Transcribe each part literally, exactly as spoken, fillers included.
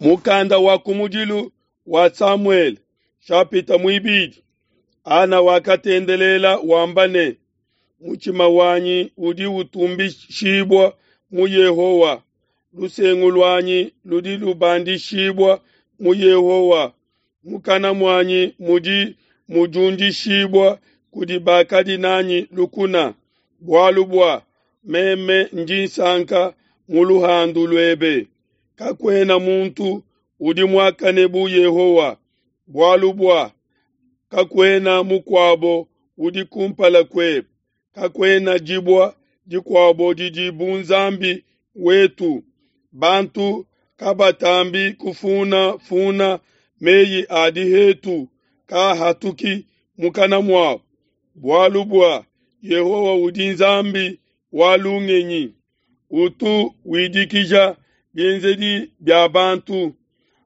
Mukanda wa kumudilu wa Samuele shapita muibidi. Ana wakatendelela wamba ne, mutshima wanyi udi utumbishibua mu Yehowa, lusengu luanyi ludi lubandishibua mu Yehowa, mukana muanyi mudi mudiundishibua kudi bakadi nanyi lukuna, bualu bua meme ndi nsanka mu luhandu luebe. Kakuena muntu udi muakane bu Yehowa, bualu bua kakuena mukuabo udi kumpala kuebe, kakuena dibue dikuabo didi bu Nzambi wetu. Bantu kabatambi kufunafuna meyi a dihetu kahatuki mukana muabo, bualu bua Yehowa udi Nzambi wa lungenyi, utu widikija bienzedi bia bantu.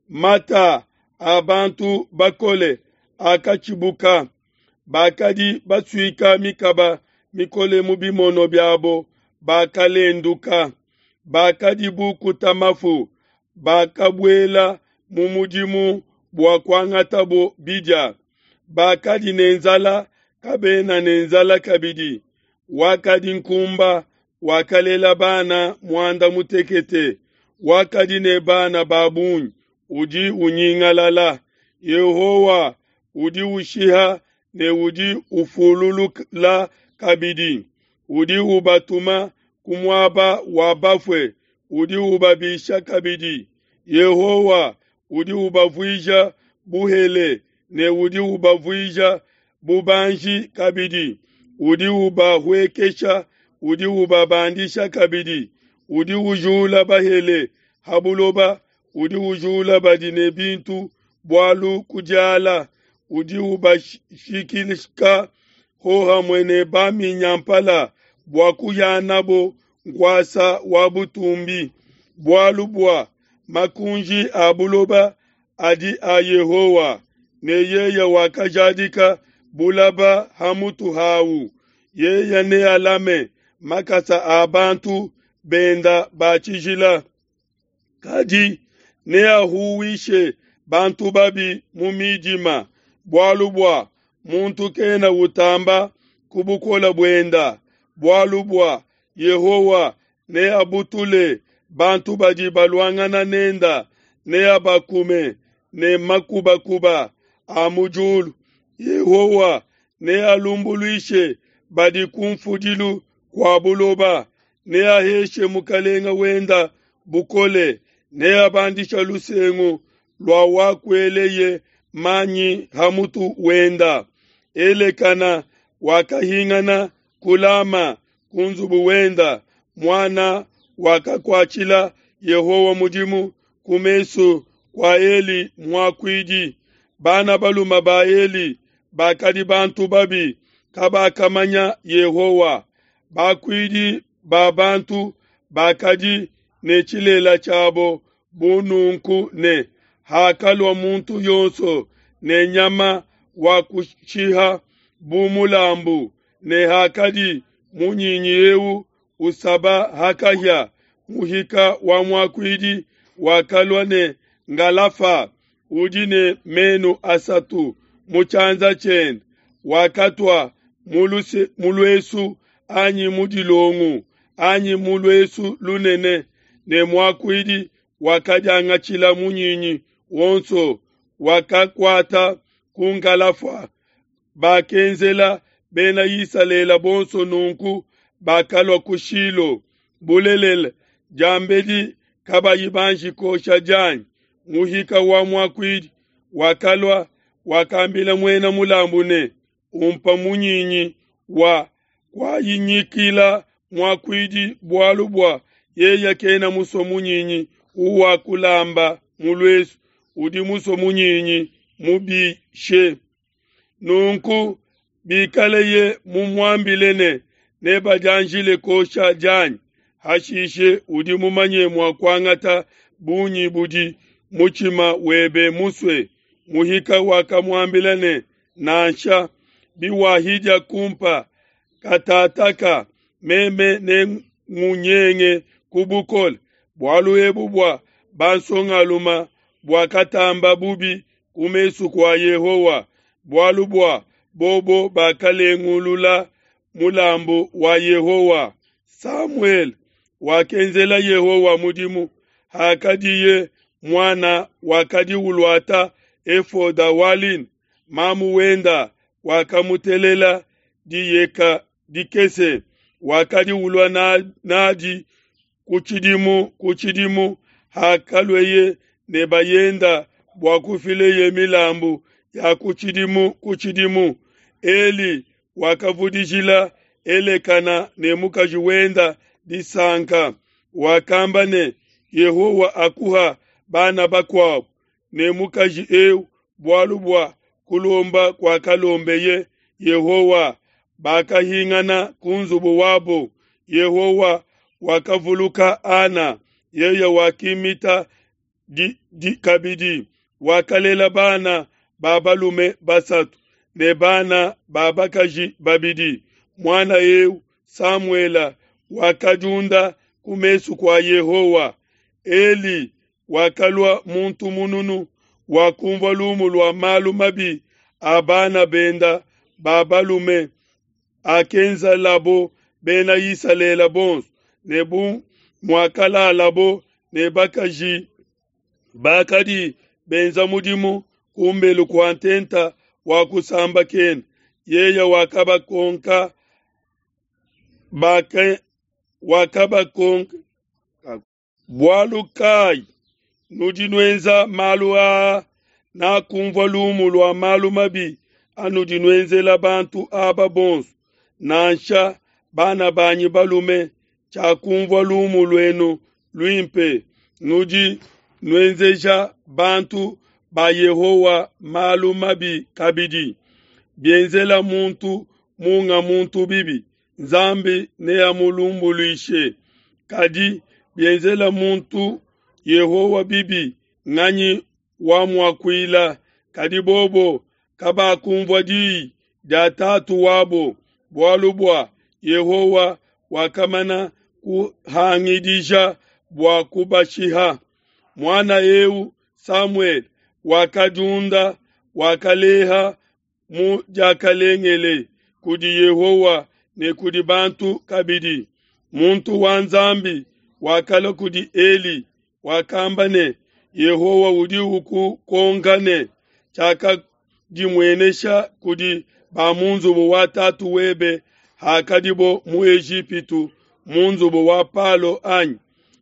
Mata a bantu bakole akatshibuka, bakadi basuika mikaba mikole mu bimono biabo bakalenduka, bakadi bukuta mafu, bakabuela mu mudimu bua kuangatabo bidia. Bakadi ne nzala kabena ne nzala kabidi, wakadi nkumba wakalela bana muanda mutekete, wakadi ne bana ba bungi udi unyingalala. Yehowa udi ushiha ne udi ufululula kabidi, udi ubatuma ku muaba wa bafue, udi ubabisha kabidi. Yehowa udi ubavuija buhele ne udi ubavuija bubanji kabidi, udi ubahuekesha, udi ubabandisha kabidi, udi ujula bahele ha buloba, udi ujula badi ne bintu bualu kudiala, udi ubashikika hohamue ne baminyampala bua kuhianabo nkuasa wa butumbi. Bualu bua makunji a buloba adi a Yehowa, ne yeye wakajadika bulaba ha mutu hau. Yeye nealame makasa a bantu benda ba tshijila, kadi neahuwishe bantu babi mu midima, bualu bua muntu kena utamba ku bukole buenda. Bualu bua Yehowa neabutule bantu badi baluangana nenda, neabakume ne makubakuba a mu diulu. Yehowa nealumbuluishe badi kunfudilu kua buloba, neaheshe mukalenga wenda bukole, neabandishe lusengu lua wakueleye manyi ha mutu wenda. Elekana wakahingana ku Lama ku nzubu wenda, muana wakakuatshila Yehowa mudimu ku mesu kua Eli muakuidi. Bana balume ba Eli bakadi bantu babi, kabakamanya Yehowa. Bakuidi ba bantu bakadi ne tshilela tshiabo bu nunku ne, hakalua muntu yonso ne nyama wa kushiha bu mulambu, ne hakadi munyinyi eu usaba ha kahia, muhika wa muakuidi wakalua ne ngalafa udi ne menu asatu mu tshianza tshiende, wakatua mu luesu anyi mu dilongu anyi mu luesu lunene, ne muakuidi wakadiangatshila munyinyi wonso, wakakuata ku ngalafa. Bakenzela Bena Isalele bonso nunku bakalua ku Shilo. Bulelela, diambedi kabayi banji kosha dianyi, muhika wa muakuidi wakalua, wakambila muena mulambu ne, umpa munyinyi wa kuayinyikila muakuidi, bualu bua yeye kena musue munyinyi uwakulamba mu luesu, udi musue munyinyi mubishe. Nunku bikaleye mumuambile ne, nebadianjile kosha dianyi, hashishe udi mumanye mua kuangata bungi budi mutshima webe musue. Muhika wakamuambila ne, nansha, biwahidia kumpa katataka, meme nengunyenge ku bukole. Bualu ebu bua bansongaluma buakatamba bubi ku mesu kua Yehowa, bualu bua bobo bakalengulula mulambu wa Yehowa. Samuele wakenzela Yehowa mudimu hakadiye muana, wakadi uluata efoda wa lin. Mamu wenda wakamutelela diyeka dikese, wakadi ulua n'adi ku tshidimu ku tshidimu hakalueye ne bayenda bua kufileye milambu ya ku tshidimu ku tshidimu. Eli wakavudijila Elekana ne mukaji wenda disanka, wakamba ne, Yehowa akuha bana bakuabo ne mukaji eu bualu bua kulomba kuakalombeye Yehowa. Bakahingana ku nzubu wabo. Yehowa wakavuluka Ana, yeye wakimita di, di, kabidi, wakalela bana ba balume basatu ne bana ba bakaji babidi. Muana eu Samuele wakadiunda ku mesu kua Yehowa. Eli wakalua muntu mununu, wakumvua lumu lua malu mabi a bana benda ba balume akenzelabo Bena Isalele bonso, ne bu muakalalabo ne bakaji bakadi benza mudimu kumbelu kua ntenta wa kusambakena. Yeye wakabakonka baka wakabakonka bualu kai nudi nuenza malu aa? Nakumvua lumu lua malu mabi anudi nuenzela bantu aba bonso, nansha bana banyi balume, tshiakumvua lumu luenu luimpe. Nudi nuenzeja bantu ba Yehowa malu mabi kabidi. Bienzela muntu munga muntu bibi, Nzambi neamulumbuluishe. Kadi bienzela muntu Yehowa bibi, nganyi wamuakuila? Kadi bobo kabakumvua diyi dia tatu wabo, bualu bua Yehowa wakamana kuhangidija bua kubashiha. Muana eu Samuele wakadiunda, wakaleha mu diakalengele kudi Yehowa ne kudi bantu kabidi. Muntu wa Nzambi wakalua kudi Eli, wakamba ne, Yehowa udi ukukonka ne, tshiakadimuenesha kudi ba mu nzubu wa tatu webe hakadibo mu Ejipitu mu nzubu wa Palo anyi?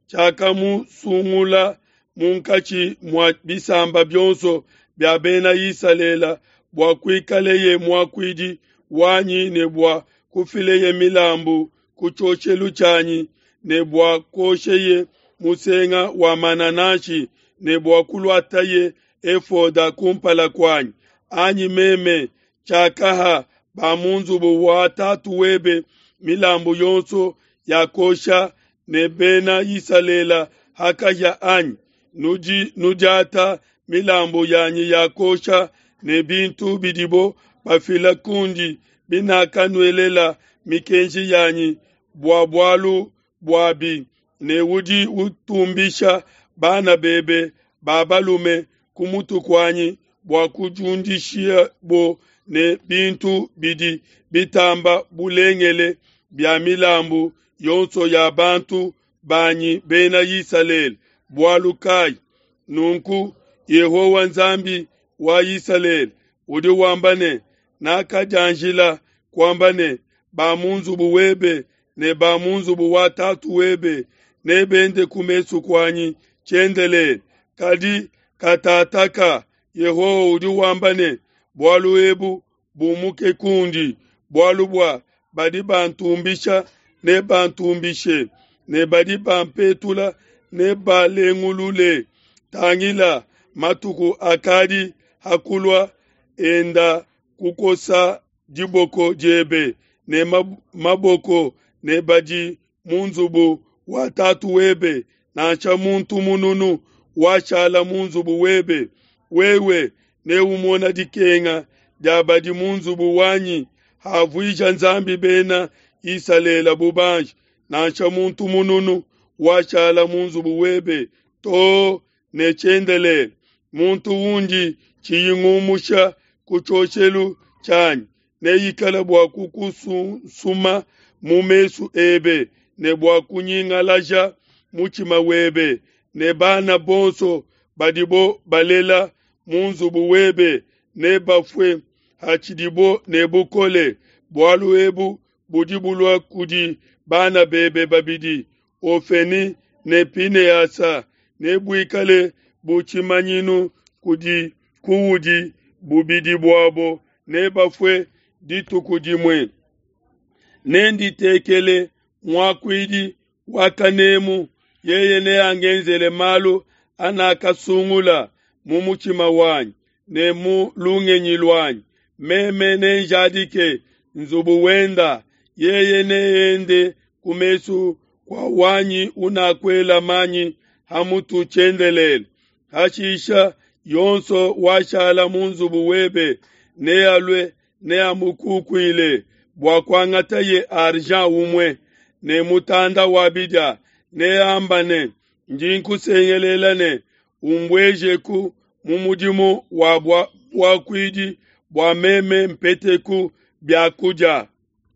Tshiakamusungula munkatshi mua bisamba bionso bia Bena Isalele bua kuikaleye muakuidi wanyi ne bua kufileye milambu ku tshioshelu tshianyi ne bua kuosheye musenga wa manananshi ne bua kuluataye efoda kumpala kuanyi anyi? Meme tshiakaha ba mu nzubu wa tatu webe milambu yonso ya kuosha ne Bena Isalele hakahia anyi? Nudi nudiata milambu yanyi ya kuosha ne bintu bidibo bafila kundi binakanuelela mikenji yanyi bua bualu buabi, ne udi utumbisha bana bebe ba balume ku mutu kuanyi bua kudiundishabo ne bintu bidi bitamba bulengele bia milambu yonso ya bantu banyi Bena Isalele. Bualu kai? Nunku Yehowa Nzambi wa Isalele udi wamba ne, nakadianjila kuamba ne, ba mu nzubu webe ne ba mu nzubu wa tatu webe nebende ku mesu kuanyi tshiendelele. Kadi katataka Yehowa udi wamba ne, bualu ebu bumuke kundi, bualu bua badi bantumbisha ne bantumbishe, ne badi bampetula ne balengulule. Tangila, matuku akadi hakulua enda kukosa diboko diebe ne maboko ne badi mu nzubu wa tatu webe, nansha muntu mununu washala mu nzubu webe. Wewe neumona dikenga dia badi mu nzubu wanyi havuija Nzambi Bena Isalele bubanji, nansha muntu mununu washala mu nzubu webe to ne tshiendelele. Muntu undi tshiyi ngumusha ku tshioshelu tshianyi neikale bua kukusunsuma mu mesu ebe ne bua kunyingalaja mutshima webe, ne bana bonso badibo balela mu nzubu webe nebafue hatshidibo ne bukole. Bualu ebu budi bulua kudi bana bebe babidi, Hofeni ne Pinehasa, nebuikale bu tshimanyinu kudi kuudi, bubidi buabo nebafue dituku dimue. Nenditekele muakuidi wa kanemu, yeye neangenzele malu anakasungula mu mutshima wanyi ne mu lungenyi luanyi. Meme nenjadike nzubu wenda, yeye neende ku mesu kua wanyi unakuela manyi ha mutu tshiendelele. Hashisha yonso washala mu nzubu webe nealue neamukukuile bua kuangataye argent umue ne mutanda wa bidia, neamba ne, Ndi nkusengelela ne, Umbuejeku mu mudimu wa buakuidi bua meme mpeteku bia kudia.